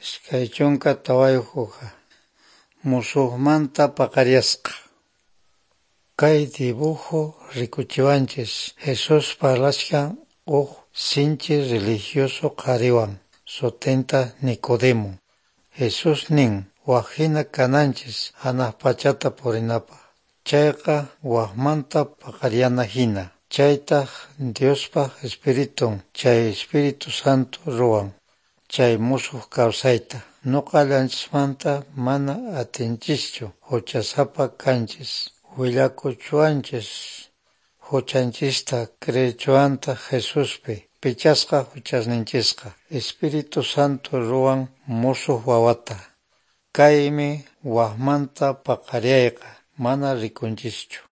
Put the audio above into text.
24 hoja. Musuqmanta paqaryasqa. Kay dibujo rikuchiwanchis Jesús parlachkan huk sinchi religioso qhariwan, sutinta Nicodemo. Jesús nin, wak hina kananchis hanaq pachata purinapaq. Chayqa wakmanta paqaryana hina. Chaytaq Diospaq Espiritun, chay Espíritu Santo ruwan, chay musuq kawsayta. Nuqallanchismanta mana atinchischu, huchasapa kanchis. Willakuchuwanchis huchanchista, creechuwantaq Jesuspi, pichasqa huchasninchisqa. Espíritu Santo ruwan musuq wawata. Kaymi wakmanta paqaryayqa, mana rikunchischu.